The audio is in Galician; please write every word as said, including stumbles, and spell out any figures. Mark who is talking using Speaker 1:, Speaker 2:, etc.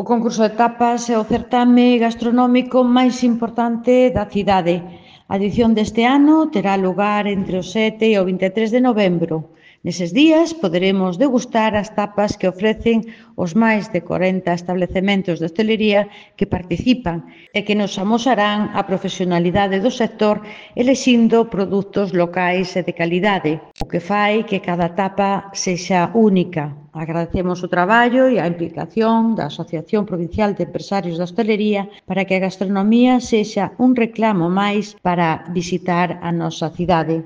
Speaker 1: O concurso de tapas é o certame gastronómico máis importante da cidade. A edición deste ano terá lugar entre o sete e o vinte e tres de novembro. Neses días poderemos degustar as tapas que ofrecen os máis de corenta establecementos de hostelería que participan e que nos amosarán a profesionalidade do sector elixindo produtos locais e de calidade, o que fai que cada tapa sexa única. Agradecemos o traballo e a implicación da Asociación Provincial de Empresarios da Hostalería para que a gastronomía sexa un reclamo máis para visitar a nosa cidade.